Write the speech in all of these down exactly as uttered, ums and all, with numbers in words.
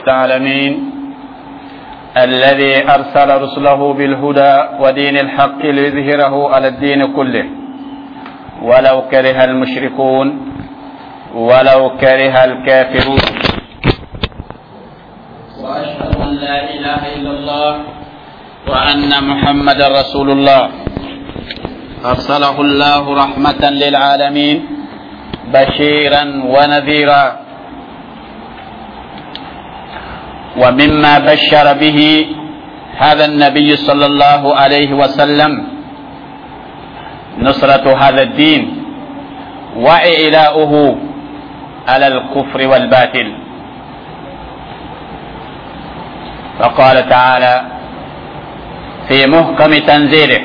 العالمين الذي أرسل رسله بالهدى ودين الحق ليظهره على الدين كله ولو كره المشركون ولو كره الكافرون. وأشهد أن لا إله إلا الله وأن محمد رسول الله، أرسله الله رحمة للعالمين بشيرا ونذيرا. ومما بشر به هذا النبي صلى الله عليه وسلم نصرة هذا الدين وإعلاؤه على الكفر والباطل. فقال تعالى في محكم تنزيله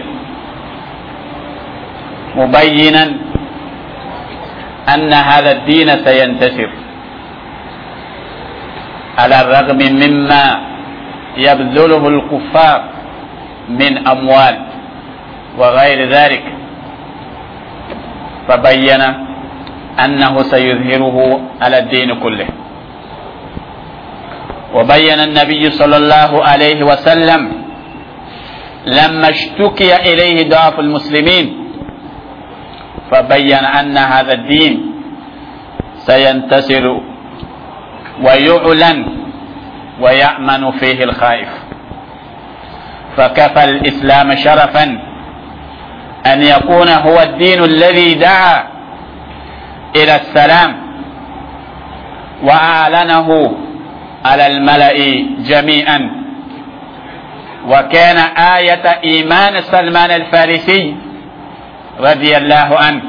مبينا أن هذا الدين سينتصر على الرغم مما يبذله الكفار من أموال وغير ذلك، فبين أنه سيظهره على الدين كله. وبين النبي صلى الله عليه وسلم لما اشتكي إليه ضعف المسلمين، فبين أن هذا الدين سينتصر ويعلن ويأمن فيه الخائف. فكفى الإسلام شرفا أن يكون هو الدين الذي دعا إلى السلام وأعلنه على الملأ جميعا. وكان آية إيمان سلمان الفارسي رضي الله عنه،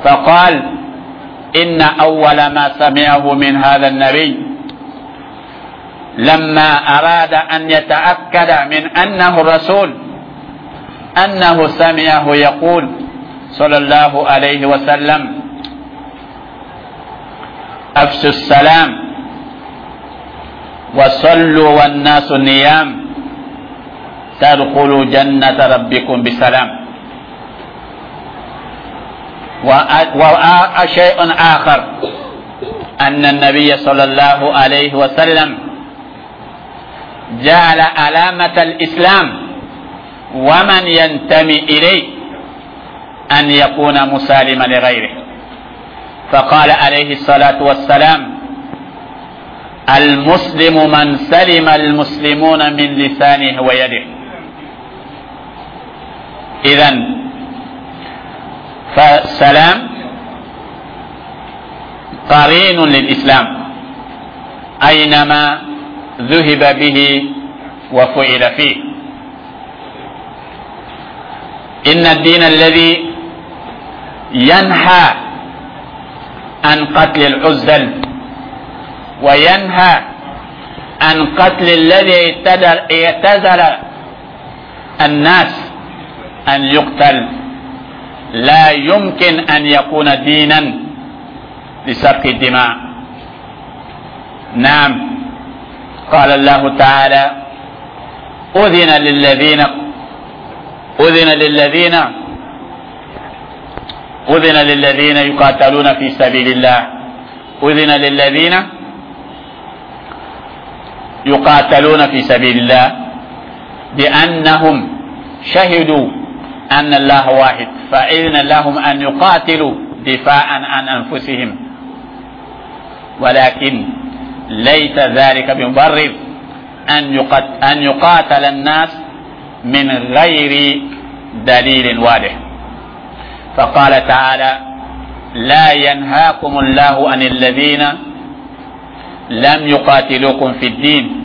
فقال: إن أول ما سمعه من هذا النبي لما أراد أن يتأكد من أنه الرسول أنه سمعه يقول صلى الله عليه وسلم: أفشوا السلام وصلوا والناس نيام تدخلوا جنة ربكم بسلام. وشيء آخر أن النبي صلى الله عليه وسلم جعل علامة الإسلام ومن ينتمي إليه أن يكون مسالما لغيره، فقال عليه الصلاة والسلام: المسلم من سلم المسلمون من لسانه ويده. إذن فالسلام قرين للإسلام أينما ذهب به وفعل فيه. إن الدين الذي ينهى عن قتل العزل وينهى عن قتل الذي اعتزل الناس أن يقتل لا يمكن أن يكون دينا لسفك الدماء. نعم، قال الله تعالى: أذن للذين أذن للذين أذن للذين يقاتلون في سبيل الله أذن للذين يقاتلون في سبيل الله بأنهم شهدوا أن الله واحد، فإذن لهم أن يقاتلوا دفاعا عن أنفسهم، ولكن ليس ذلك بمبرر أن يقاتل الناس من غير دليل واضح. فقال تعالى: لا ينهاكم الله عن الذين لم يقاتلوكم في الدين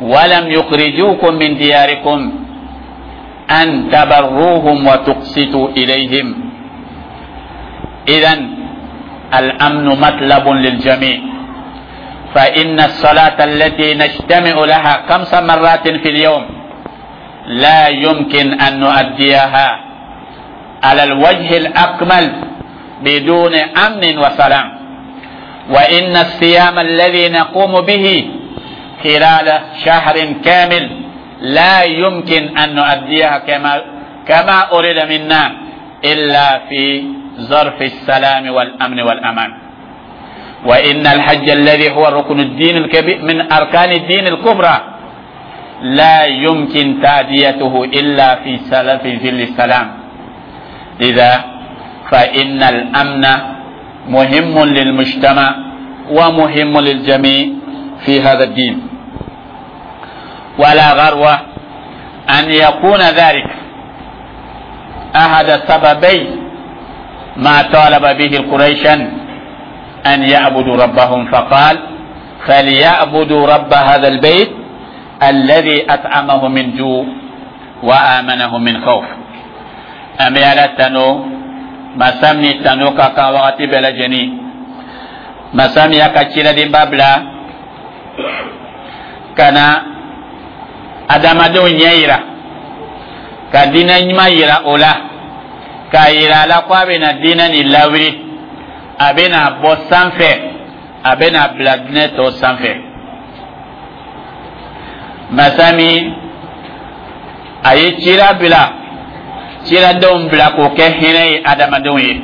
ولم يخرجوكم من دياركم أن تبروهم وتقسطوا إليهم. إذن الأمن مطلب للجميع، فإن الصلاة التي نجتمع لها خمس مرات في اليوم لا يمكن أن نؤديها على الوجه الأكمل بدون أمن وسلام. وإن الصيام الذي نقوم به خلال شهر كامل لا يمكن أن نؤديها كما كما أريد منا إلا في ظرف السلام والأمن والأمان. وإن الحج الذي هو ركن الدين الكبير من أركان الدين الكبرى لا يمكن تأديته إلا في سلف ظل السلام. لذا فإن الأمن مهم للمجتمع ومهم للجميع في هذا الدين. ولا غرو أن يكون ذلك أحد سببي ما طالب به القريشا أن يعبدوا ربهم، فقال: فليعبدوا رب هذا البيت الذي أطعمه من جوع وآمنه من خوف. An bɛ Ala tanu, masa min tanu ka kan wagati bɛɛ lajɛlen, masa min y'a ka ciladenba bila ka na adamadenw ɲɛ yira, ka diinɛ ɲuman yira o la, k'a yira a la ko a bɛna diinɛ nin lawuli, a bɛna bɔ sanfɛ, a bɛna bila diinɛ tɔ sanfɛ. Masa min a ye cira bila, ciradenw bila k'o kɛ hinɛ ye adamadenw ye,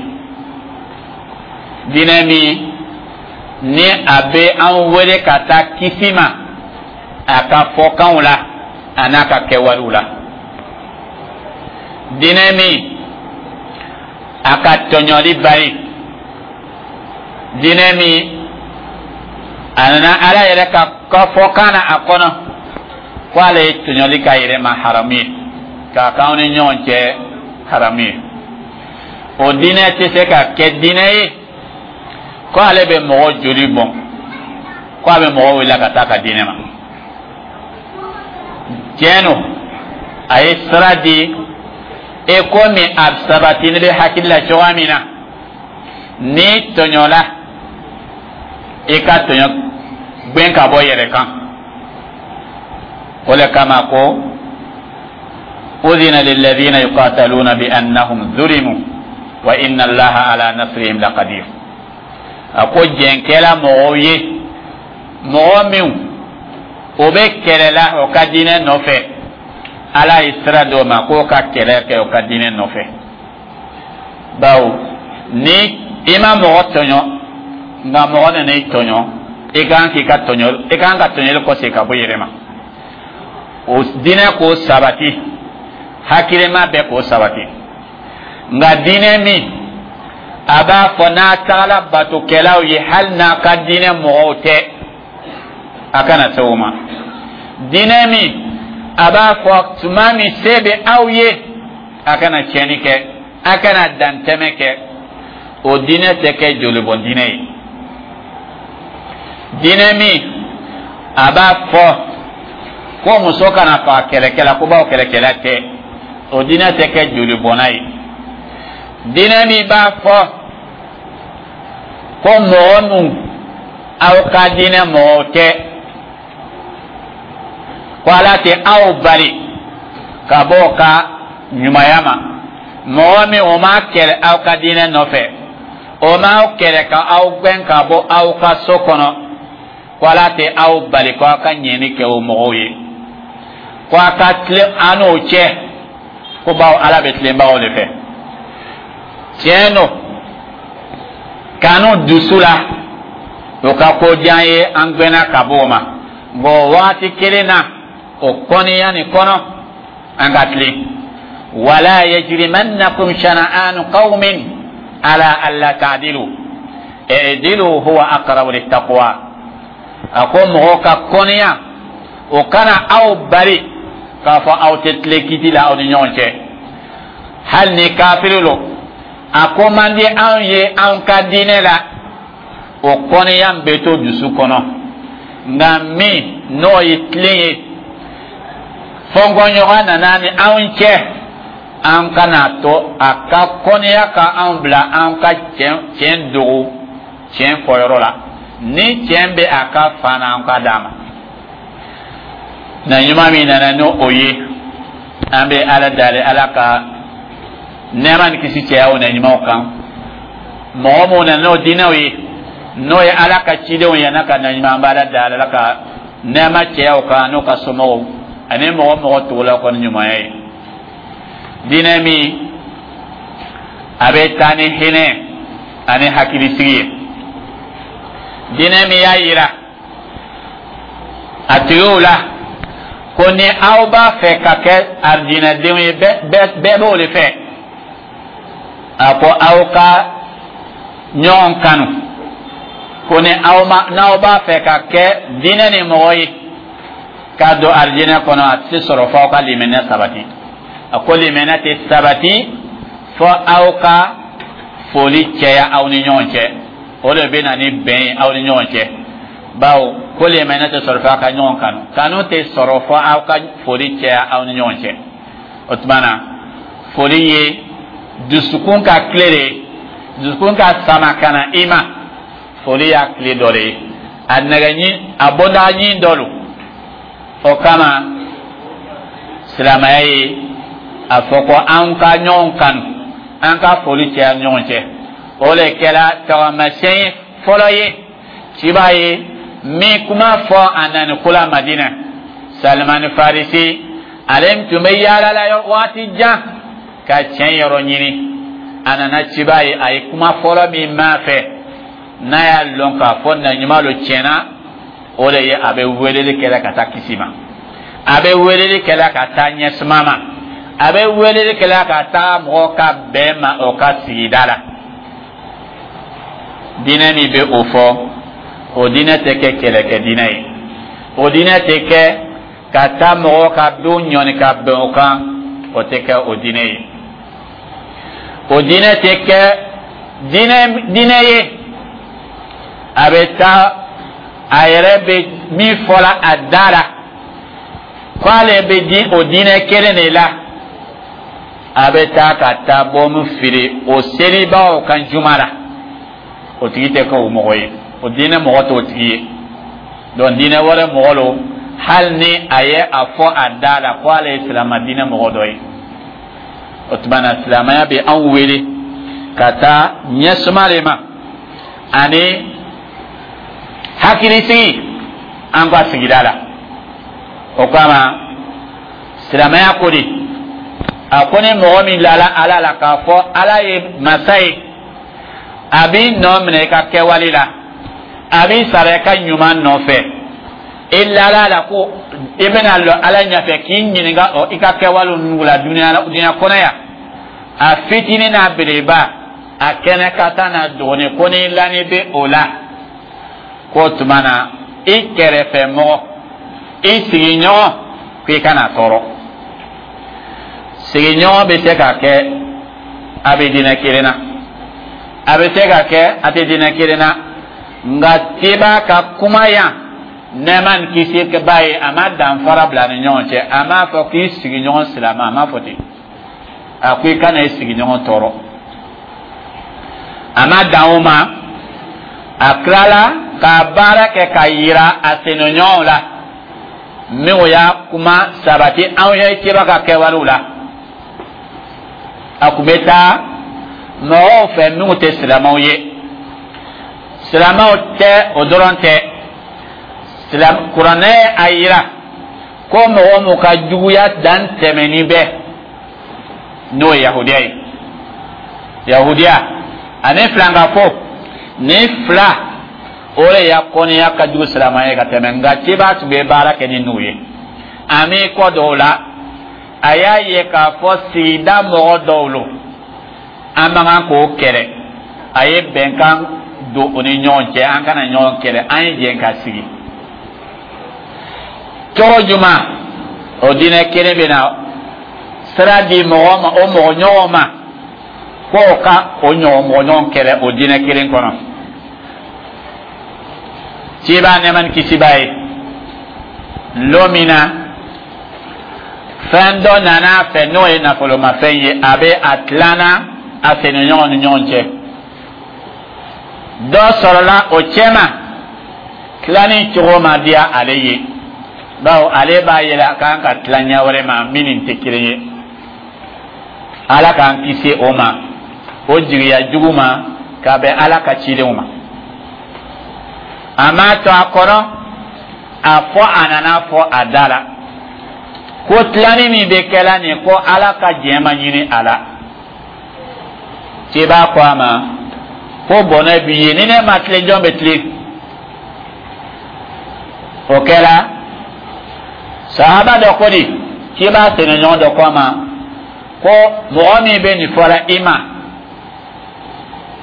diinɛ min ni a bɛ an wele ka taa kisi ma a ka fɔkanw la a n'a ka kɛwalew la, diinɛ min a ka tɔɲɔli bari, diinɛ min a nana Ala yɛrɛ ka ka fɔkan na a kɔnɔ ko ale ye tɔɲɔli k'a yɛrɛ ma haramu ye, k'a k'anw ni ɲɔgɔn cɛ haramu ye. O diinɛ tɛ se ka kɛ diinɛ ye ko ale bɛ mɔgɔ joli bɔn, ko a bɛ mɔgɔ wele ka taa ka diinɛ ma. Tiɲɛ don, a ye sira di e komi a sabatini bɛ hakili la cogoya min na, n'i tɔɲɔla, i ka tɔɲɔ gbɛn ka bɔ yɛrɛ kan. O le kama ko: أذن للذين يقاتلون بأنهم ظلموا وإن الله على نصرهم لقدير. A ko jɛnkɛla mɔgɔw ye, mɔgɔ minw o bɛ kɛlɛ la o ka diinɛ nɔfɛ, Ala ye sira d'o ma k'o ka kɛlɛ kɛ o ka diinɛ nɔfɛ, bawo ni i ma mɔgɔ tɔɲɔ, nka mɔgɔ nana i tɔɲɔ, i kan k'i ka tɔɲɔ, i kan ka tɔɲɔli kɔsegin ka bɔ i yɛrɛ ma. O diinɛ k'o sabati, hakilima bɛɛ k'o sabati. Nka diinɛ min a b'a fɔ n'a tagala batokɛlaw ye, hali n'a ka diinɛ mɔgɔw tɛ, a kana se o ma. Diinɛ min a b'a fɔ tuma min se bɛ aw ye, a kana tiɲɛni kɛ, a kana dantɛmɛ kɛ, o diinɛ tɛ kɛ jolibɔn diinɛ ye. Diinɛ min a b'a fɔ ko muso kana faga kɛlɛkɛla, ko bawo kɛlɛkɛla tɛ, o diinɛ tɛ kɛ jolibɔnna ye. Diinɛ min b'a fɔ ko mɔgɔ min aw ka diinɛ mɔgɔw tɛ, ko Ala tɛ aw bali ka bɔ o ka ɲumanya ma, mɔgɔ min o ma kɛlɛ aw ka diinɛ nɔfɛ, o m'aw kɛlɛ ka aw gɛn ka bɔ aw ka so kɔnɔ, ko Ala tɛ aw bali ko aw ka ɲɛni kɛ o mɔgɔw ye, ko a ka tilen an n'o cɛ, ko bawo Ala bɛ tilenbagaw de fɛ. Tiɲɛ don, kanu dusu la, o ka ko diya ye, an gbɛnna ka bɔ o ma. Bɔn, waati kelen na, o kɔniya nin kɔnɔ, an ka tilen. ولا يجرمنكم شنآن قوم على ألا تعدلوا اعدلوا هو أقرب للتقوى. A ko mɔgɔw ka kɔniya, o kana aw bari k'a fɔ aw tɛ tilen kiti la aw ni ɲɔgɔn cɛ, hali ni kafiri lo. A ko man di anw ye anw ka diinɛ la, o kɔniya bɛ to dusu kɔnɔ. Nka min n'o ye tilen ye, fɔnkɔɲɔgɔn nana ni anw cɛ, an kana to a ka kɔniya ka anw bila an ka tiɲɛ dogo tiɲɛ fɔyɔrɔ la. Ni tiɲɛ bɛ a ka fan na, an ka d'a ma. Na ɲuman min nana n'o o ye, an bɛ Ala dali, Ala ka nɛɛma ni kisi cɛya o na ɲumanw kan. Mɔgɔ mun nana n'o diinɛw ye, n'o ye Ala ka cidenw ye n'a ka na ɲuman, an bɛ Ala dali, Ala ka nɛɛma cɛya o kan n'o ka somɔgɔw ani mɔgɔ mɔgɔ tugula kɔni ɲumanya ye. Diinɛ min a bɛ taa ni hinɛ ani hakilisigi ye. Diinɛ min y'a yira a tigiw la ko ni aw b'a fɛ ka kɛ arijinɛdenw ye, bɛɛ b'o de fɛ. A ko aw ka ɲɔgɔn kanu, ko ni aw ma, n'aw b'a fɛ ka kɛ diinɛ ni mɔgɔ ye k'a don arijinɛ kɔnɔ, a tɛ sɔrɔ fo aw ka limaniya sabati. A ko limaniya tɛ sabati fo aw ka foli cɛya aw ni ɲɔgɔn cɛ. O de bɛ na ni bɛn ye aw ni ɲɔgɔn cɛ, bawo ko limaniya tɛ sɔrɔ fo aw ka ɲɔgɔn kanu, kanu tɛ sɔrɔ fo aw ka foli cɛya aw ni ɲɔgɔn cɛ. O tuma na, foli ye dusukun ka tile de ye, dusukun ka sama ka na i ma. Foli y'a tile dɔ de ye, a nɛgɛɲin, a bɔda ɲin dɔ don. O kama silamɛya ye a fɔ ko an ka ɲɔgɔn kanu, an ka foli cɛya ɲɔgɔn cɛ. O de kɛra tagamasiyɛn ye fɔlɔ ye ciba ye min kuma fɔ a nani ko la Madina. Salimani Farisi, ale tun bɛ yaala la waati jan ka tiɲɛ yɔrɔ ɲini. A nana ciba ye, a ye kuma fɔlɔ min m'a fɛ, n'a y'a lɔn k'a fɔ na ɲuman lo tiɲɛna, o de ye a bɛ weleli kɛla ka taa kisi ma, a bɛ weleli kɛla ka taa ɲɛsuma ma, a bɛ weleli kɛla ka taa mɔgɔ ka bɛn ma o ka sigida la. Diinɛ min bɛ o fɔ, o diinɛ tɛ kɛ kɛlɛkɛ diinɛ ye, o diinɛ tɛ kɛ ka taa mɔgɔ ka don ɲɔni ka bɛn o kan, o tɛ kɛ o diinɛ ye. O diinɛ tɛ kɛ diinɛ diinɛ ye a bɛ taa a yɛrɛ bɛ min fɔla a da la k'ale bɛ di o diinɛ kelen de la, a bɛ taa ka taa bɔmu fili o selibaw kan juma la. O tigi tɛ kɛ o mɔgɔ ye, o diinɛ mɔgɔ t'o tigi ye. Donc diinɛ wɛrɛ mɔgɔ lo, hali ni a ye a fɔ a da la ko ale ye silamɛ diinɛ mɔgɔ dɔ ye. O tuma na, silamɛya bɛ anw wele ka taa ɲɛsuma de ma ani hakilisigi an ka sigida la. O kama silamɛya ko di, a ko ni mɔgɔ min lala Ala la k'a fɔ Ala ye masa ye, a b'i nɔ minɛ i ka kɛwale la, a b'i sara i ka ɲuman nɔfɛ. I lala la ko i bɛna lɔ Ala ɲɛfɛ k'i ɲininka i ka kɛwale ninnu la dunuya dunuya kɔnɔ yan, a fitinin n'a belebeleba, a kɛnɛ ka taa n'a dɔgɔnin, ko ni lani bɛ o la, k'o tuma na i kɛrɛfɛ mɔgɔ, i sigiɲɔgɔn, k'i kana tɔɔrɔ. Sigiɲɔgɔn bɛ se ka kɛ a bɛ diinɛ kelen na, a bɛ se ka kɛ a tɛ diinɛ kelen na. Nka ciba ka kuma yan, nɛɛma ni kisi b'a ye, a ma danfara bila ni ɲɔgɔn cɛ. A m'a fɔ k'i sigiɲɔgɔn silamɛ, a m'a fɔ ten. A ko i kana i sigiɲɔgɔn tɔɔrɔ. A ma dan o ma, a tilala ka baara kɛ ka yira a senɲɔgɔnw la minnu y'a kuma sabati anw ye ciba ka kɛwalew la. A kun bɛ taa mɔgɔw fɛ minnu tɛ silamɛw ye. Silamɛw tɛ, o dɔrɔn tɛ. Kuranɛ a yira ko mɔgɔ mun ka juguya dan tɛmɛni bɛ, n'o ye yahudiya ye, yahudiya ani filankafo ni fila, o de ya kɔniya ka jugu silamɛya ye ka tɛmɛ. Nka ciba tun bɛ baara kɛ ni n'u ye. A m'i kɔ dɔw la, a y'a ye k'a fɔ sigida mɔgɔ dɔw lo, an man kan k'o kɛlɛ. A ye bɛnkan don o ni ɲɔgɔn cɛ, an kana ɲɔgɔn kɛlɛ, an ye jɛn ka sigi cogo jumɛn? O diinɛ kelen bɛ na sira di mɔgɔ ma, o mɔgɔ ɲɔgɔn ma, k'o ka o ɲɔgɔn mɔgɔ ɲɔgɔn kɛlɛ o diinɛ kelen kɔnɔ. Ciba, nɛɛma ni kisi b'a ye, lon min na fɛn dɔ nana a fɛ, n'o ye nafolomafɛn ye, a bɛ a tilanna a senɲɔgɔn ni ɲɔgɔn cɛ. Dɔ sɔrɔla o cɛma, tilani cogo ma diya ale ye, bawo ale b'a yɛlɛ a kan ka tila ɲɛ wɛrɛ ma min ni tɛ kelen ye. Ala k'an kisi o ma, o jigiya jugu ma ka bɛn Ala ka cidenw ma. A m'a to a kɔnɔ, a fɔ a nana fɔ a da la ko tilani min bɛ kɛla nin, ko Ala ka diɲɛ ma ɲini a la. Ciba ko a ma ko bɔnɛ b'i ye, ni ne ma tilen, jɔn bɛ tilen? O kɛra, sahaba dɔ ko di, k'i b'a senɲɔgɔn dɔ ko a ma ko mɔgɔ min bɛ nin fɔra i ma,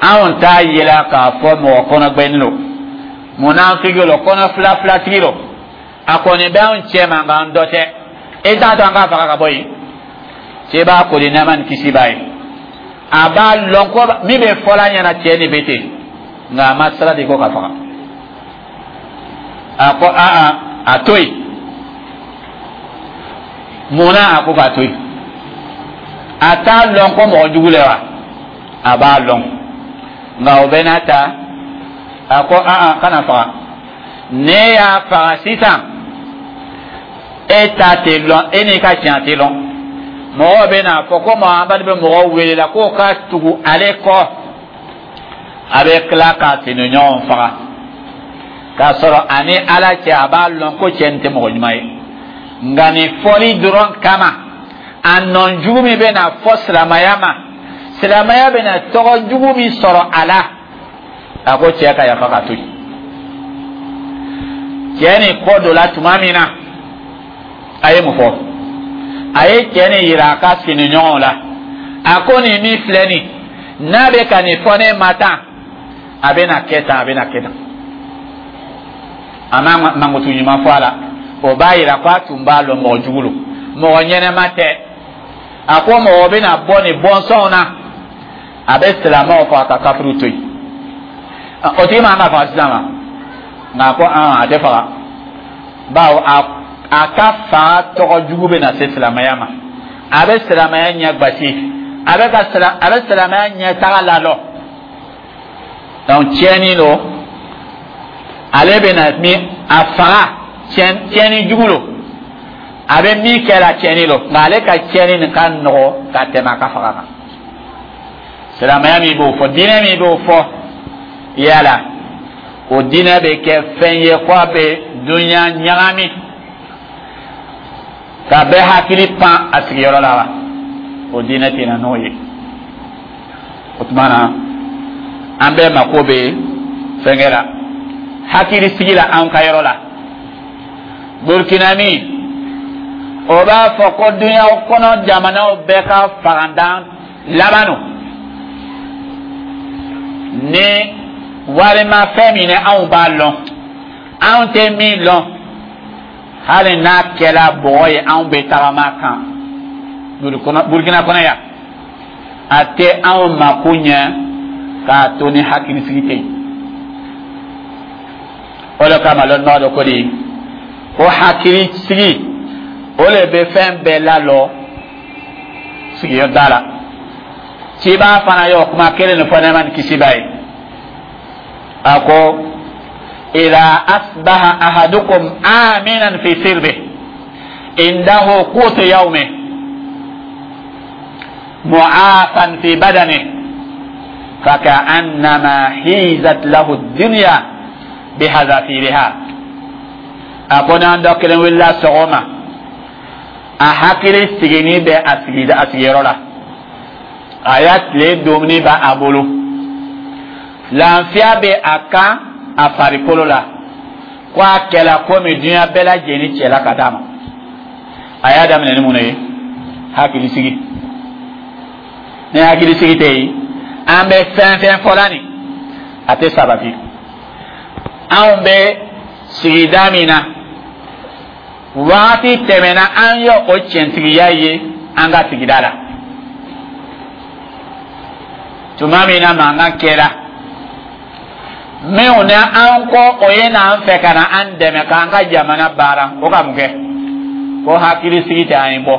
anw t'a yela k'a fɔ mɔgɔ kɔnɔgbɛnni lo, munafiki lo, kɔnɔ fila filatigi lo. A kɔni bɛ anw cɛ ma, nka an dɔ tɛ. E t'a to an k'a faga ka bɔ yen. Cɛ b'a koli, nɛɛma ni kisi b'a ye, a b'a lɔn ko min bɛ fɔla ɲɛna, cɛ nin bɛ ten, nka a ma sira di ko ka faga. A ko aa, a to yen. Munna a ko k'a to yen? A t'a lɔn ko mɔgɔ jugu le wa? A b'a lɔn, nka o bɛɛ n'a ta, a ko aa, kana faga. Ne y'a faga sisan, e ta tɛ lɔn, e n'i ka tiɲɛ tɛ lɔn. Mɔgɔw bɛ n'a fɔ ko Muhamadu bɛ mɔgɔw wele la k'o ka tugu ale kɔ, a bɛ tila k'a senɲɔgɔn faga, k'a sɔrɔ ani Ala cɛ, a b'a lɔn ko cɛ nin tɛ mɔgɔ ɲuman ye. Nka nin fɔli dɔrɔn kama, a nɔ jugu min bɛ na fɔ silamɛya ma, silamɛya bɛ na tɔgɔ jugu min sɔrɔ a la, a ko cɛ ka yafa ka to yen. Cɛ nin kɔ dɔ la tuma min na, a ye mun fɔ? A ye cɛ nin yira a ka siniɲɔgɔnw la. A ko nin min filɛ nin, n'a bɛ ka nin fɔ ne ma tan, a bɛ na kɛ tan, a bɛ na kɛ tan. A ma mankutu ɲuman fɔ a la. O b'a yira ko a tun b'a lɔn mɔgɔ jugu lo, mɔgɔ ɲɛnɛma tɛ. A ko mɔgɔ bɛna bɔ nin bɔnsɔnw na, a bɛ silamɛw fɔ, a ka kafiriw to yen. O tigi man ka faga sisan ma, nka a ko a tɛ faga, bawo a a ka faga tɔgɔ jugu bɛ na se silamɛya ma, a bɛ silamɛya ɲɛ gbasi, a bɛ ka sila a bɛ silamɛya ɲɛ taga lalɔ. Donc tiɲɛni lo, ale bɛ na min a faga, tiɲɛni jugu lo, a bɛ min kɛ la, tiɲɛni lo, nka ale ka tiɲɛni nin ka nɔgɔ ka tɛmɛ a ka faga kan. Silamɛya min b'o fɔ, diinɛ min b'o fɔ, yala o diinɛ bɛ kɛ fɛn ye ko a bɛ dunuya ɲagami ka bɛɛ hakili pan a sigiyɔrɔ la wa? O diinɛ tɛ na n'o ye. O tuma na, an bɛɛ mako bɛ fɛnkɛ la, hakili sigi la an ka yɔrɔ la. Burukina min o b'a fɔ ko dunuya kɔnɔ jamanaw bɛɛ ka fagandan laban don ni warimafɛn min ni anw b'a lɔn, anw tɛ min lɔn, hali n'a kɛra bɔgɔ ye, anw bɛ tagama kan Burukina kɔnɔ yan, a tɛ anw mako ɲɛ k'a to ni hakilisigi tɛ yen. O de kama lɔnnibaga dɔ ko de ko hakilisigi, o de bɛ fɛn bɛɛ lalɔ sigiyɔrɔ da la. Ciba fana y'o kuma kelen nin fɔ, nɛɛma ni kisi b'a ye. A ko إذا أصبح أحدكم آمنا في سربه، عنده قوت يومه، معافا في بدنه، فكأنما حيزت له الدنيا بحذافيرها. A ko n'an dɔ kelen wulila sɔgɔma, a hakili sigini bɛ a sigida, a sigiyɔrɔ la, a y'a tile dumuni b'a a bolo, lafiya bɛ a kan a farikolo la, ko a kɛla komi diɲɛ bɛɛ lajɛlen cɛla ka d'a ma. A y'a daminɛ ni mun ye? Hakili sigi. Ni hakili sigi tɛ yen, an bɛ fɛn fɛn fɔla nin, a tɛ sabati. Anw bɛ sigida min na, wagati tɛmɛna, an ye o tiɲɛtigiya ye an ka sigida la. Tuma min na mankan kɛra, minnu ni an ko o ye n'an fɛ ka na an dɛmɛ k'an ka jamana baara, o ka mun kɛ? Ko hakili sigi tɛ, an ye bɔ.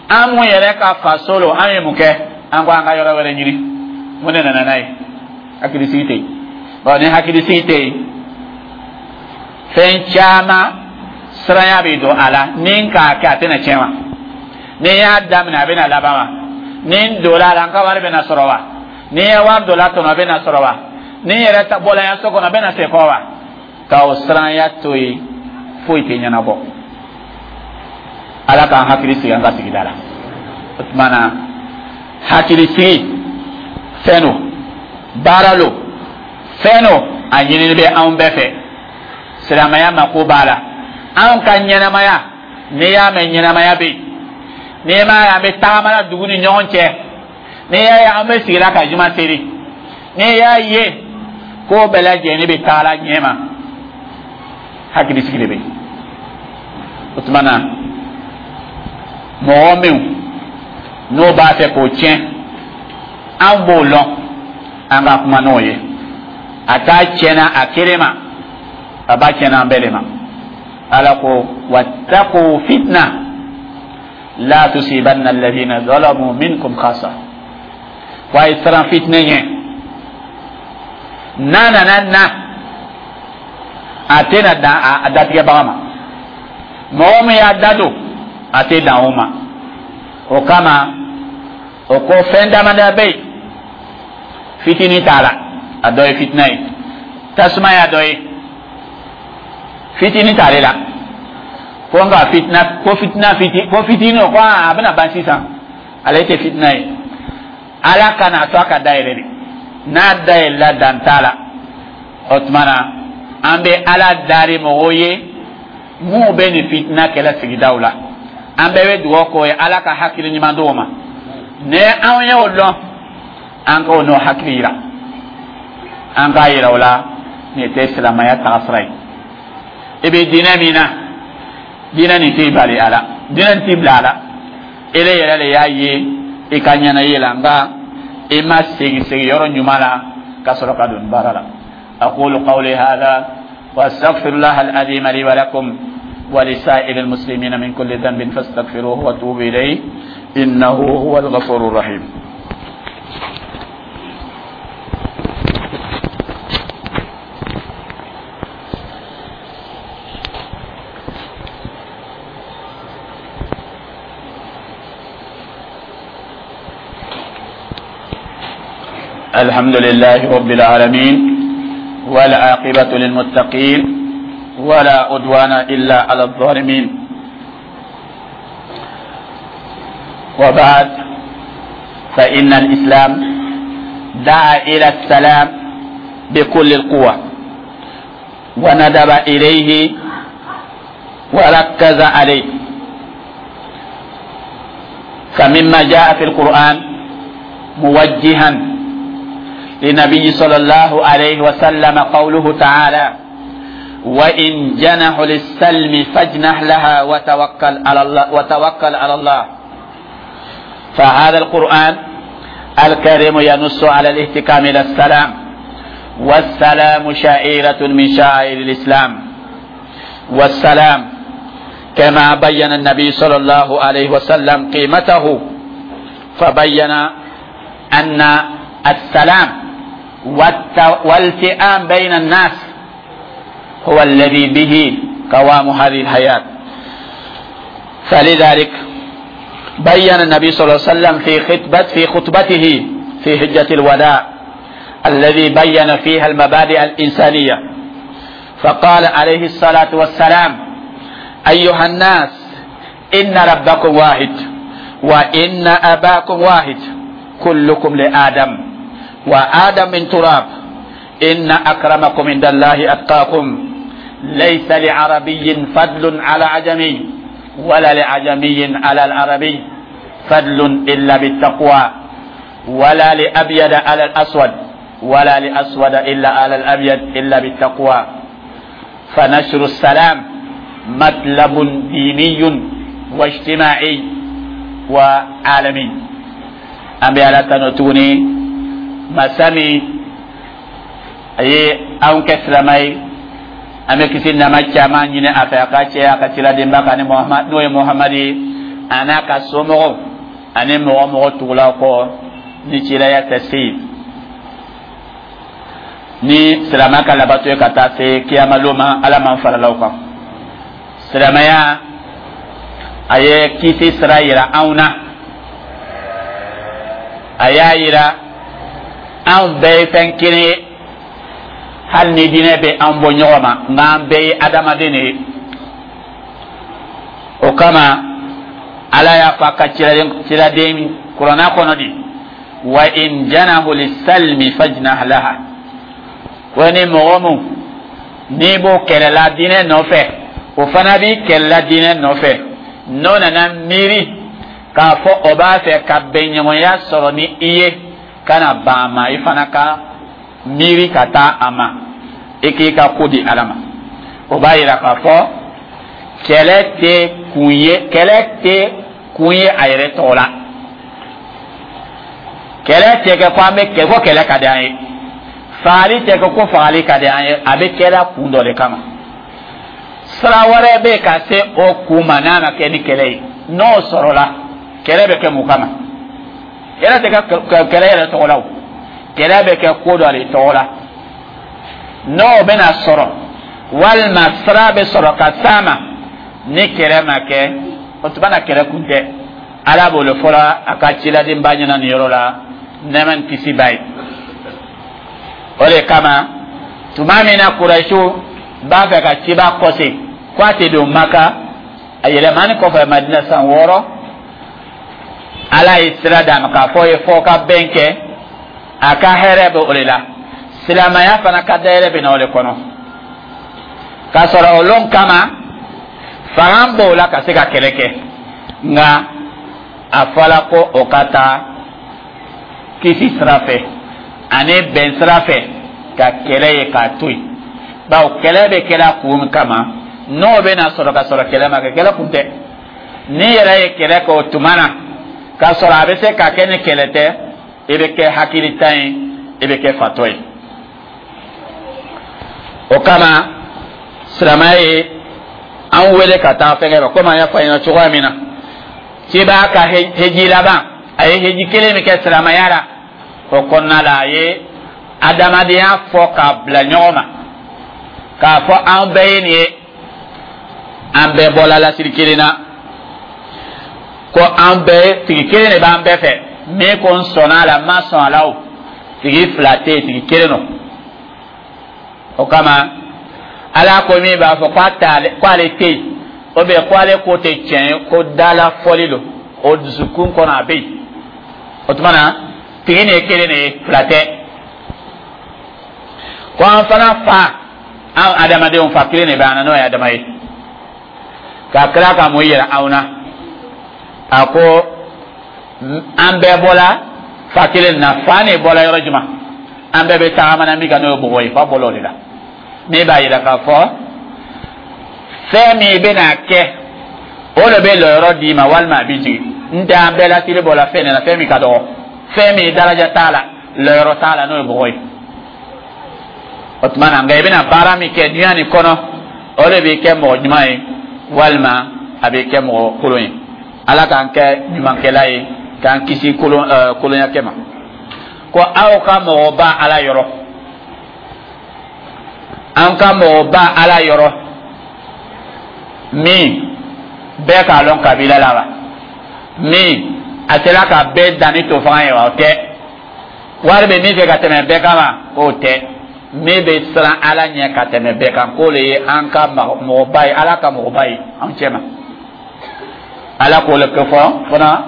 An mun yɛrɛ ka faso lo, an ye mun kɛ? An ko an ka yɔrɔ wɛrɛ ɲini. Mun de nana n'a ye? Hakili sigi tɛ yen. Bon, ni hakili sigi tɛ yen, fɛn caman siranya bɛ don a la. Ni n k'a kɛ, a tɛna tiɲɛ wa? Ni n y'a daminɛ, a bɛna laban wa? Ni n donna a la, n ka wari bɛna sɔrɔ wa? Ni n ye wari don la, tɔnɔ bɛna sɔrɔ wa? Ni n yɛrɛ bɔla yan so kɔnɔ, a bɛna se kɔ wa? Ka o siranya to yen, foyi tɛ ɲɛnabɔ. Ala k'an hakili sigi an ka sigida la. O tuma na, hakili sigi fɛn do, baara lo, fɛn do, a ɲinini bɛ anw bɛɛ fɛ. Silamɛya mako b'a la. Anw ka ɲɛnamaya, n'i y'a mɛn ɲɛnamaya bɛ yen, n'i m'a ye an bɛ tagama la dugu ni ɲɔgɔn cɛ, n'i y'a ye an bɛ sigila ka juma seri, n'i y'a ye ko bɛɛ lajɛlen bɛ taa la ɲɛma, hakili sigi de bɛ yen. O tuma na mɔgɔ min n'o b'a fɛ k'o tiɲɛ, an b'o lɔn, an ka kuma n'o ye. A t'a tiɲɛna a kelen ma, a b'a tiɲɛna an bɛɛ de ma. Ala ko wattaqu fitna la tusibanna alladhina zalamu minkum khassa. Ko a ye siran fitinɛ ɲɛ, n'a nana na a tɛna dan a datigɛbaga ma. Mɔgɔ min y'a da don, a tɛ dan o ma. O kama o ko fɛn damadɔ bɛ yen, fitinin t'a la, a dɔ ye fitina ye, tasuma y'a dɔ ye, fitinin t'ale la. Ko nka fitina, ko fitina fiti, ko fitinin o ko a bɛna ban sisan, ale tɛ fitina ye. Ala kana to a ka dayɛlɛ de, n'a dayɛlɛla dan t'a la. O tuma na an bɛ Ala dari mɔgɔw ye minnu bɛ nin fitina kɛlɛ sigidaw la. An bɛɛ bɛ dugawu k'o ye, Ala ka hakili ɲuman d'o ma. Ni anw y'o lɔn, an k'o n'o hakili yira, an k'a yira o la nin tɛ silamɛya tagasira ye. I bɛ diinɛ min na, diinɛ nin t'i bali a la, diinɛ nin t'i bila a la. Ele yɛrɛ de y'a ye i ka ɲɛna la, nka i ma segin segin yɔrɔ ɲuman la ka sɔrɔ ka don baara la. أقول قولي هذا وأستغفر الله العظيم لي ولكم ولسائر المسلمين من كل ذنب فاستغفروه وتوبوا إليه إنه هو الغفور الرحيم. الحمد لله رب العالمين والعاقبة للمتقين ولا عدوان إلا على الظالمين، وبعد، فإن الإسلام دعا إلى السلام بكل القوة وندب إليه وركز عليه. فمما جاء في القرآن موجها لنبي صلى الله عليه وسلم قوله تعالى: وإن جنحوا للسلم فاجنح لها وتوكل على الله، وتوكل على الله. فهذا القرآن الكريم ينص على الاهتكام إلى السلام، والسلام شعيرة من شعائر الإسلام. والسلام كما بين النبي صلى الله عليه وسلم قيمته، فبين أن السلام والتئام بين الناس هو الذي به قوام هذه الحياة. فلذلك بين النبي صلى الله عليه وسلم في خطبة في خطبته في حجة الوداع الذي بين فيها المبادئ الإنسانية، فقال عليه الصلاة والسلام: أيها الناس، إن ربكم واحد وإن أباكم واحد، كلكم لآدم وآدم من تراب، إن أكرمكم عند الله أتقاكم، ليس لعربي فضل على عجمي ولا لعجمي على العربي فضل إلا بالتقوى، ولا لأبيض على الأسود ولا لأسود إلا على الأبيض إلا بالتقوى. فنشر السلام مطلب ديني واجتماعي وعالمي. An bɛ Ala tanu tuguni, masa min a ye anw kɛ silamɛ ye. An bɛ kisi nama caman ɲini a fɛ, a ka cɛ a ka ciladenba kan ni Muhamad, n'o ye Muhamadi ye, a n'a ka somɔgɔw ani mɔgɔ mɔgɔ tugula kɔ ni cilaya tɛ se yen, ni silamɛ ka labato ye ka taa se kiyamalo ma. Ala m'an farala o kan. Silamɛya a ye kisi sira yira anw na, a y'a yira anw bɛɛ ye fɛn kelen ye, hali ni diinɛ bɛ an bɔ ɲɔgɔn ma, nka an bɛɛ ye adamaden de ye. O kama Ala y'a fɔ a ka ciladen ciladen kuranna kɔnɔ di: wa in janahu lisalmi fajnah laha. Ko ni mɔgɔ mun N'i b'o kɛlɛla diinɛ nɔfɛ, o fana b'i kɛlɛla diinɛ nɔfɛ, n'o nana miiri k'a fɔ o b'a fɛ ka bɛnɲɔgɔnya sɔrɔ ni i ye, ka na ban a ma, i fana ka miiri ka taa a ma, i k'i ka ko di Ala ma. O b'a yira k'a fɔ kɛlɛ tɛ kun ye, kɛlɛ tɛ kun ye a yɛrɛ tɔgɔ la. Kɛlɛ tɛ kɛ ko an bɛ kɛ ko kɛlɛ ka di an ye, fagali tɛ kɛ ko fagali ka di an ye. A bɛ kɛla kun dɔ de kama. Sira wɛrɛ bɛ ka se o kun ma n'a ma kɛ ni kɛlɛ ye. N'o sɔrɔla, kɛlɛ bɛ kɛ mun kama? Kɛlɛ tɛ kɛ kɛlɛ yɛrɛ tɔgɔ la o, kɛlɛ bɛ kɛ ko dɔ de tɔgɔ la. N'o bɛna sɔrɔ walima sira bɛ sɔrɔ ka s'a ma ni kɛlɛ ma kɛ, o tuma na kɛlɛ kun tɛ. Ala b'o de fɔla a ka ciladenba ɲɛna nin yɔrɔ la, nɛɛma ni kisi b'a ye. O de kama, tuma min na Kurɛsiw b'a fɛ ka ciba kɔse ko a tɛ don Maka, a yɛlɛmani kɔfɛ Madina san wɔɔrɔ, Ala ye sira d'a ma k'a fɔ ye fɔ ka bɛn kɛ. A ka hɛrɛ bɛ o de la, silamɛya fana ka dayɛlɛ bɛ na o de kɔnɔ. K'a sɔrɔ o lon kama fanga b'o la ka se ka kɛlɛ kɛ, nka a fɔla ko o ka taa kisi sira fɛ ani bɛn sira fɛ ka kɛlɛ ye k'a to yen, bawo kɛlɛ bɛ kɛla kun min kama, n'o bɛna sɔrɔ ka sɔrɔ kɛlɛ ma kɛ, kɛlɛ kun tɛ. N'i yɛrɛ ye kɛlɛ kɛ o tuma na k'a sɔrɔ a bɛ se ka kɛ ni kɛlɛ tɛ, i bɛ kɛ hakilitan ye, i bɛ kɛ fatɔ ye. O kama silamɛya ye an wele ka taa fɛnkɛ ma, komi an y'a fɔ an ɲɛna cogoya min na, ciba ka heji laban, a ye heji kelen min kɛ silamɛya la, o kɔnɔna la a ye adamadenya fɔ k'a bila ɲɔgɔn ma, k'a fɔ an bɛɛ ye nin ye, an bɛɛ bɔla lasiri kelen na, ko an bɛɛ tigi kelen de b'an bɛɛ fɛ. Min ko n sɔnna a la, n ma sɔn a la, o tigi fila tɛ yen, tigi kelen don. O kama Ala ko min b'a fɔ ko ale tɛ yen, o bɛ ko ale ko tɛ tiɲɛ ye, ko dala fɔli don, o dusukun kɔnɔ a bɛ yen. O tuma na tigi nin ye kelen de ye, fila tɛ. Ko an fana fa, an adamadenw fa kelen de bɛ an na, n'o ye Adama ye. Ka kila ka mun yira anw na? A ko an bɛɛ bɔla fa kelen na. Fa nin bɔla yɔrɔ jumɛn? An bɛɛ bɛ tagama na min kan, n'o ye bɔgɔ ye, fa bɔla o de la. Min b'a yira k'a fɔ fɛn min bɛna kɛ, o de bɛ lɔyɔrɔ d'i ma walima a b'i jigin. N tɛ an bɛɛ lasiri bɔla fɛn de la, fɛn min ka dɔgɔ, fɛn min daraja t'a la, lɔyɔrɔ t'a la, n'o ye bɔgɔ ye. O tuma na, nka i bɛna baara min kɛ dunuya nin kɔnɔ, o de b'i kɛ mɔgɔ ɲuman ye walima a b'i kɛ mɔgɔ kolon ye. Ala k'an kɛ ɲumankɛla ye, k'an kisi kolon ɛɛ kolonyakɛ ma. Ko aw ka mɔgɔba Ala yɔrɔ, an ka mɔgɔba Ala yɔrɔ min bɛɛ k'a lɔn kabila la wa, min a sera ka bɛɛ danni to fanga ye wa, o tɛ. Wari bɛ min fɛ ka tɛmɛ bɛɛ kan wa, k'o tɛ. Min bɛ siran Ala ɲɛ ka tɛmɛ bɛɛ kan, k'o de ye an ka mɔgɔba ye, Ala ka mɔgɔba ye an cɛ ma. Ala k'o le fɔ fana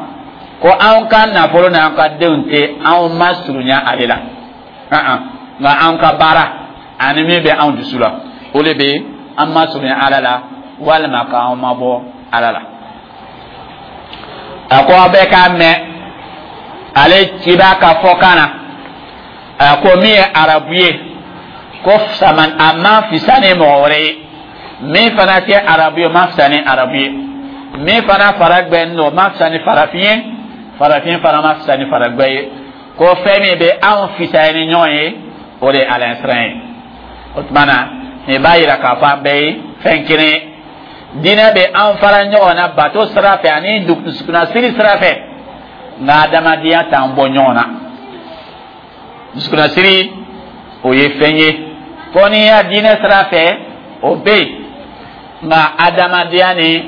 ko anw ka nafolo n'an ka denw tɛ anw ma surunya ale la, nka an ka baara ani min bɛ anw dusu la, o de bɛ an ma surunya Ala la walima k'anw ma bɔ Ala la. A ko aw bɛɛ k'a mɛn ale ciba ka fɔkan na. A ko min ye arabu ye, ko saman a ma fisa ni mɔgɔ wɛrɛ ye. Min fana tɛ arabu ye, o ma fisa ni arabu ye. Min fana faragbɛn don, o ma fisa ni farafin ye. Farafin fana ma fisa ni faragbɛ ye. Ko fɛn min bɛ anw fisaya ni ɲɔgɔn ye, o de ye Ala ɲɛsiran ye. O tuma na nin b'a yira k'a fɔ an bɛɛ ye fɛn kelen ye. Diinɛ bɛ an fara ɲɔgɔn na bato sira fɛ ani dusukunnasiri sira fɛ, nka adamadenya t'an bɔ ɲɔgɔn na. Dusukunnasiri, o ye fɛn ye ko n'i y'a diinɛ sira fɛ, o bɛ yen, nka adamadenya ni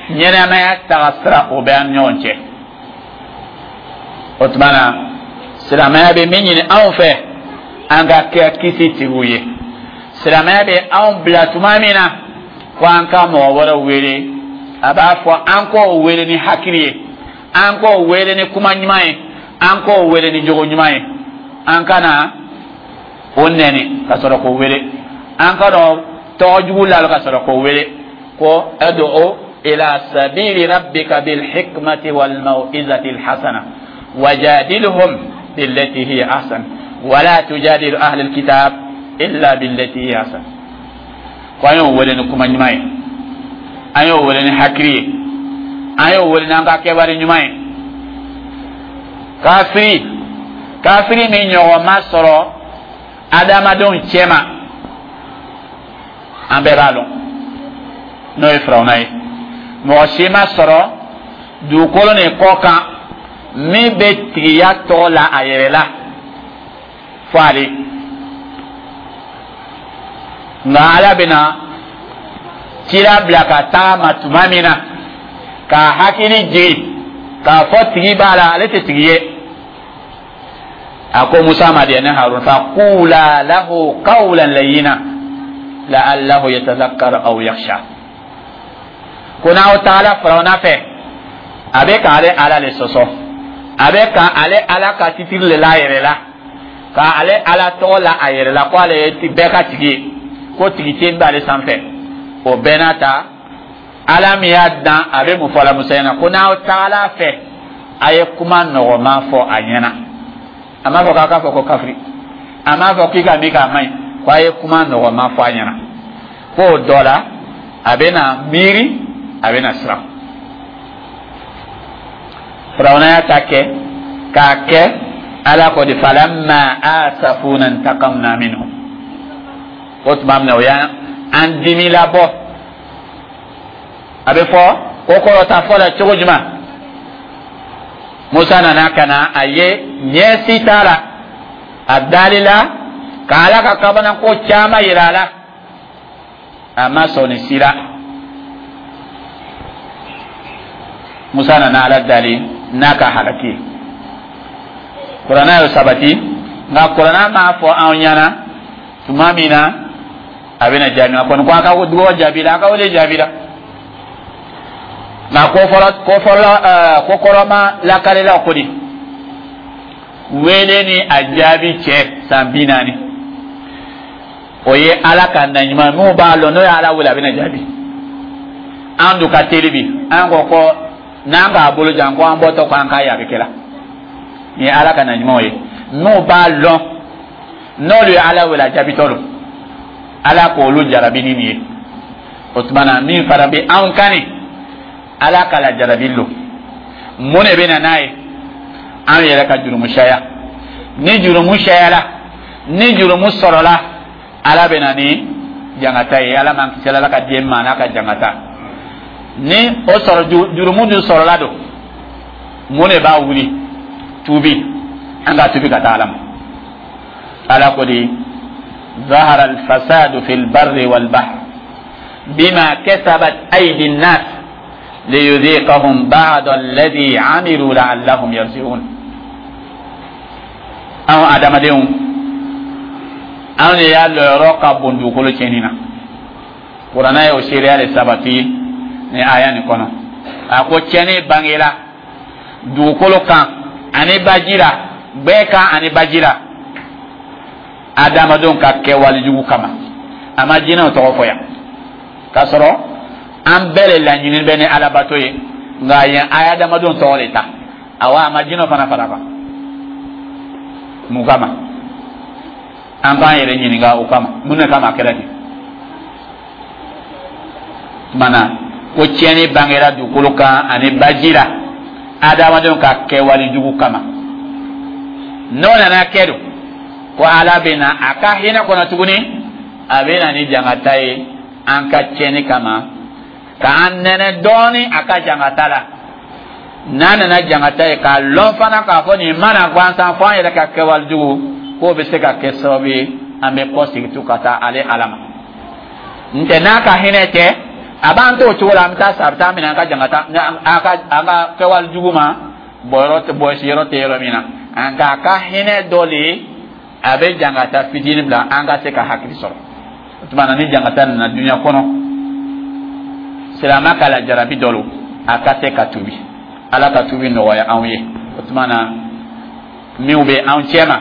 ɲɛnɛmaya taga sira, o bɛ an ni ɲɔgɔn cɛ. O tuma na silamɛya bɛ min ɲini anw fɛ, an ka kɛ kisi tigiw ye. Silamɛya bɛ anw bila tuma min na ko an ka mɔgɔ wɛrɛw wele, a b'a fɔ an k'o wele ni hakili ye, an k'o wele ni kuma ɲuman ye, an k'o wele ni jogo ɲuman ye. An kana o nɛni ka sɔrɔ k'o wele. An ka dɔn tɔgɔ jugu la ka sɔrɔ k'o wele ko ud'u ila sabili rabbika bil hikmati wal mau'izati al hasana wajadilhum billati hiya ahsan wala tujadilu ahli al kitab illa billati hiya ahsan. Ko an y'o wele ni kuma ɲuman ye, an y'o wele ni hakili ye, an y'o wele n'an ka kɛwale ɲuman ye. Kafiri, kafiri min ɲɔgɔn ma sɔrɔ adamadenw cɛma, an bɛɛ b'a lɔn, n'o ye Firawuna ye. Mɔgɔ si ma sɔrɔ dugukolo nin kɔ kan min bɛ tigiya tɔgɔ la a yɛrɛ la fo ale. Nka Ala bɛna cira bila ka taa ma tuma min na k'a hakili jigin k'a fɔ tigi b'a la, ale tɛ tigi ye, a ko Musa ma de ne Harun: faqula lahu qawlan layyina la'allahu yatadhakkaru aw yakhsha. Ko n'aw taala Firawuna fɛ, a bɛ k'ale Ala le sɔsɔ, a bɛ ka ale Ala ka titiri le la a yɛrɛ la, ka ale Ala tɔgɔ la a yɛrɛ la, ko ale ye bɛɛ ka tigi ye, ko tigi tɛ b'ale sanfɛ. O bɛɛ n'a ta, Ala min y'a dan, a bɛ mun fɔ la Musa ɲɛna? Ko n'aw taala fɛ, a ye kuma nɔgɔman fɔ a ɲɛna. A m'a fɔ k'a k'a fɔ ko kafiri, a m'a fɔ k'i ka min k'a man ɲi, ko a ye kuma nɔgɔman fɔ a ɲɛna, k'o dɔ la a bɛ na miiri, a bɛ na siran. Firawuna y'a ta kɛ k'a kɛ, Ala ko di: falamma asafuna intaqamna minhum. O tuma min na o y'an an dimi labɔ, a bɛ fɔ o kɔrɔta fɔ la cogo jumɛn? Musa nana ka na a ye ɲɛsi t'a la, a dalila ka Ala ka kabanako caman yira a la, a ma sɔn nin si la. Musa nana Ala dali n'a ka halaki ye. Kuranna y'o sabati, nka kuranna m'a fɔ anw ɲɛna tuma min na a bɛna jaabi. A kɔni ko a ka dugawu jaabi la, a ka wele jaabi la, nka ko fɔlɔ, ko fɔlɔ, ɛɛ ko kɔrɔma lakalila ko di wele ni a jaabi cɛ san bi naani. O ye Ala ka na ɲuman minnu b'a lɔn, n'o ye Ala wele, a bɛna jaabi. An dun ka teli bi, an ko ko n'an k'a bolo jan ko an bɔtɔ ko an k'a ye, a bɛ kɛ la. Nin ye Ala ka na ɲumanw ye, n'u b'a lɔn, n'olu ye Ala wele, a jaabitɔ don. Ala k'olu jarabi ni nin ye. O tuma na, min fana bɛ anw kan nin, Ala ka la jarabi lo. Mun de bɛ na n'a ye? An yɛrɛ ka jurumu caya. Ni jurumu cayala, ni jurumu sɔrɔla, Ala bɛ na ni jangata ye. Ala m'an kisi, Ala ka den ma n'a ka jangata ni o sɔrɔ. Jurumu dun sɔrɔla don, mun de b'a wuli? Tubi. An ka tubi ka taa Ala ma. Ala ko di: ظهر الفساد في البر والبحر بما كسبت أيدي الناس ليذيقهم بعض الذي عملوا لعلهم يرجعون. Anw adamadenw, anw de y'a lɔyɔrɔ ka bon dugukolo tiɲɛni na. Kuranna ye o seereya de sabati ni aya nin kɔnɔ. A ko tiɲɛni bangela dugukolo kan ani baji la, gbɛ kan ani baji la, adamadenw ka kɛwale jugu kama. A ma jinɛw tɔgɔ fɔ yan, k'a sɔrɔ an bɛɛ de laɲini bɛ ni Alabato ye, nka yen a ye adamadenw tɔgɔ de ta. Awa, a ma jinɛw fana fara kan. Mun kama? An k'an yɛrɛ ɲininka o kama, mun de kama a kɛra ten? Tuma na ko tiɲɛni bangera dugukolo kan ani baji la adamadenw ka kɛwale jugu kama. N'o nana kɛ don ko Ala bɛ na a ka hinɛ kɔnɔ tuguni, a bɛ na ni jangata ye an ka tiɲɛni kama, k'an nɛnɛ dɔɔni a ka jangata la. N'a nana jangata ye, k'a lɔn fana k'a fɔ nin mana gansan fo an yɛrɛ ka kɛwale jugu, k'o bɛ se ka kɛ sababu ye an bɛ kɔ segin tu ka taa ale Ala ma. N tɛ n'a ka hinɛ tɛ, a b'an to o cogo la, an bɛ taa sa, a bɛ taa minɛ an ka jangata, an ka an ka kɛwale jugu ma bɔyɔrɔ tɛ, bɔsi yɔrɔ tɛ yɔrɔ min na. Nka a ka hinɛ dɔ de ye, a bɛ jangata fitinin bila an ka se ka hakili sɔrɔ. O tuma na, ni jangata nana dunuya kɔnɔ, silamɛ ka lajarabi dɔ lo, a ka se ka tubi. Ala ka tubi nɔgɔya anw ye. O tuma na, minnu bɛ anw cɛ ma,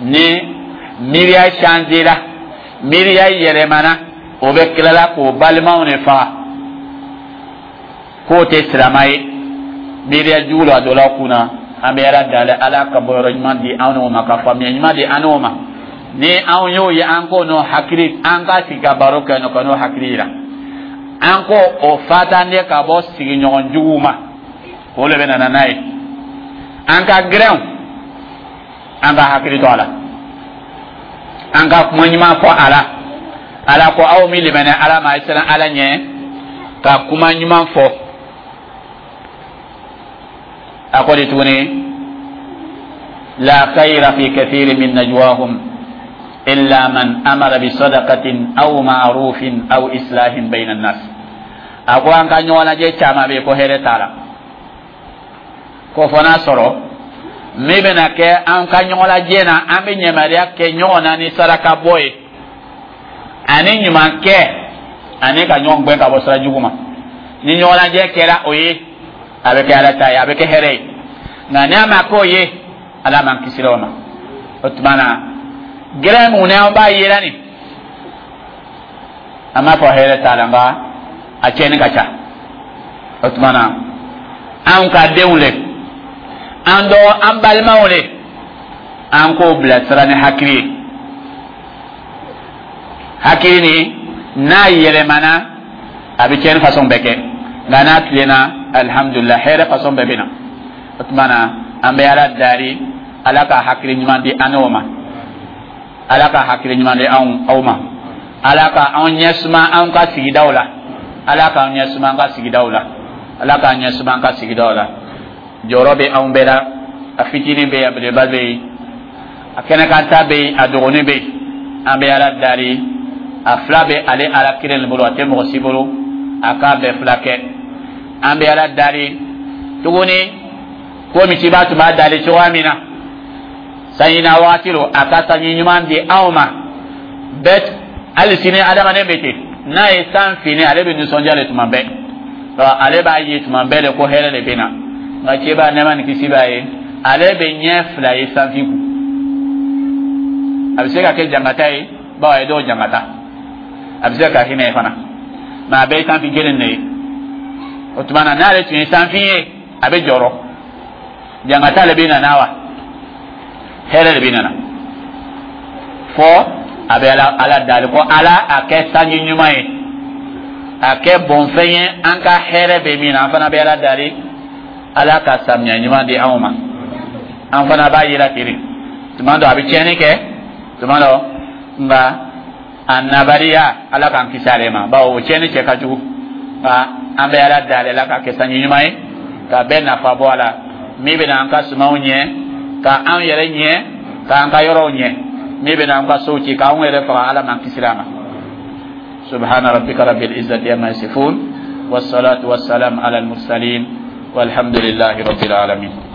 ni miiriya changé la, Miiriya yɛlɛmana, o bɛ tilala k'o balimaw de faga k'o tɛ silama ye. Miiriya jugu la a dɔ la kunna. An bɛ Ala dali, Ala ka bɔyɔrɔ ɲuman di anw n'o ma, ka faamuya ɲuman di an n'o ma. Ni anw y'o ye, an k'o n'o hakili, an ka sigi ka baro kɛ n'o ka n'o hakili yira, an ko o fatanden ka bɔ sigiɲɔgɔn juguw ma, o de bɛ nana n'a ye. An ka gɛrɛnw, an ka hakili to a la, an ka kuma ɲuman fɔ a la. Ala ko aw min limɛnɛ Ala ma, a ye siran Ala ɲɛ ka kuma ɲuman fɔ. A ko di tuguni? La khayra fi kathirin min najwahum illa man amara bi sadaqatin aw ma'rufin aw islahin bayna an-nas. A ko an ka ɲɔgɔn lajɛ caman bɛ yen ko hɛrɛ t'a la, ko fɔ n'a sɔrɔ min bɛna kɛ an ka ɲɔgɔn lajɛ na, an bɛ ɲamariya kɛ ɲɔgɔn na ni saraka bɔ ye ani ɲuman kɛ ani ka ɲɔgɔn gɛn ka bɔ sira jugu ma. Ni ɲɔgɔn lajɛ kɛra o ye, a bɛ kɛ Ala ta ye, a bɛ kɛ hɛrɛ ye. Nka n'a ma k'o ye, Ala m'an kisira o ma. O tuma na, gɛrɛ mun n'an b'a yela nin, an b'a fɔ hɛrɛ t'a la, nka a tiɲɛni ka ca. O tuma na, anw ka denw le, an dɔ an balimaw le, an k'o bilasira ni hakili ye. Hakili ni n'a yɛlɛmana, a bɛ tiɲɛni fasɔn bɛɛ kɛ, nka n'a tilenna, alihamudulila, hɛrɛ fasɔn bɛɛ bɛ na. O tuma na, an bɛ Ala dari, Ala ka hakili ɲuman di an n'o ma, Ala ka hakili ɲuman di anw aw ma, Ala ka anw ɲɛ suma anw ka sigidaw la, Ala k'an ɲɛ suma an ka sigidaw la, Ala k'an ɲɛ suma an ka sigidaw la. Jɔyɔrɔ bɛ anw bɛɛ la, a fitinin bɛ yen, a belebeleba bɛ yen, a kɛnɛkanta bɛ yen, a dɔgɔnin bɛ yen. An bɛ Ala dari, a fila bɛ ale Ala kelen de bolo, a tɛ mɔgɔ si bolo, a k'a bɛɛ fila kɛ. An bɛ Ala dari tuguni, komi ciba tun b'a dali cogoya min na, sanji na waati lo, a ka sanji ɲuman di anw ma bɛɛ. Hali sini adamaden bɛ ten, n'a ye san fini, ale bɛ nisɔndiya de tuma bɛɛ, ale b'a ye tuma bɛɛ de ko hɛrɛ de bɛ na. Nka cɛba, nɛɛma ni kisi b'a ye, ale bɛ ɲɛ fila ye sanfin kun. A bɛ se ka kɛ jangata ye, bawo a ye dɔw jangata, a bɛ se ka kɛ hinɛ ye fana, mɛ a bɛɛ ye sanfin kelen de ye. O tuma na, n'ale tun ye sanfin ye, a bɛ jɔrɔ, jangata le bɛ na wa hɛrɛ de bɛ nana. Fɔ a bɛ ala ala dali ko Ala a kɛ sanji ɲuman ye, a kɛ bɔnfɛn ye an ka hɛrɛ bɛ min na. An fana bɛ Ala dali, Ala ka samiya ɲuman di anw ma. An fana b'a yira ten, tuma dɔ a bɛ tiɲɛni kɛ, tuma dɔ, nka a nabariya, Ala k'an kisi ale ma, bawo o tiɲɛni cɛ ka jugu. Nka an bɛ Ala dali, Ala ka kɛ sanji ɲuman ye ka bɛɛ nafa bɔ a la, min bɛna an ka sumanw ɲɛ, ka an yɛrɛ ɲɛ, k'an ka yɔrɔw ɲɛ, min bɛna an ka sow ci k'anw yɛrɛ faga, Ala m'an kisira a ma. سبحان ربك رب العزة عما يصفون، والصلاة والسلام على المرسلين، والحمد لله رب العالمين.